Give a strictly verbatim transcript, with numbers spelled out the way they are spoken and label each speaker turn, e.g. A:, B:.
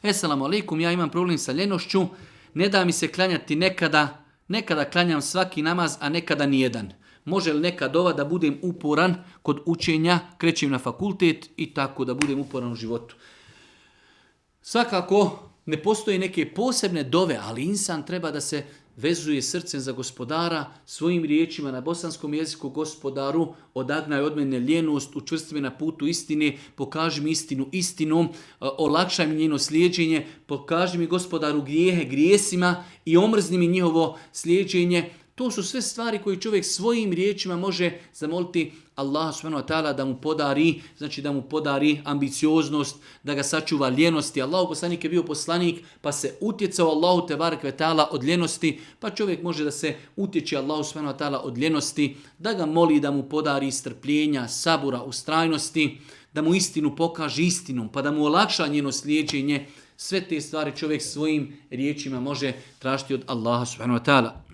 A: Esalamu alaikum, ja imam problem sa ljenošću, ne da mi se klanjati nekada, nekada klanjam svaki namaz, a nekada nijedan. Može li neka dova da budem uporan kod učenja, krećem na fakultet i tako da budem uporan u životu? Svakako ne postoje neke posebne dove, ali insan treba da se vezuje srcem za Gospodara, svojim riječima na bosanskom jeziku: Gospodaru, odagnaj od mene ljenost, učvrsti me na putu istine, pokaži mi istinu istinom, olakšaj mi njeno slijeđenje, pokaži mi, Gospodaru, grijehe grijesima i omrzni mi njihovo slijeđenje. To su sve stvari koje čovjek svojim riječima može zamoliti Allah subhanahu wa ta'ala da mu podari, znači da mu podari ambicioznost, da ga sačuva ljenosti. Allahu poslanik je bio poslanik, pa se utjecao Allahu tebarek ve ta'ala od ljenosti, pa čovjek može da se utječe Allahu subhanahu wa ta'ala od ljenosti, da ga moli da mu podari strpljenja, sabura, ustrajnosti, da mu istinu pokaže istinom, pa da mu olakša njeno slijeđenje. Sve te stvari čovjek svojim riječima može tražiti od Allaha subhanahu wa ta'ala.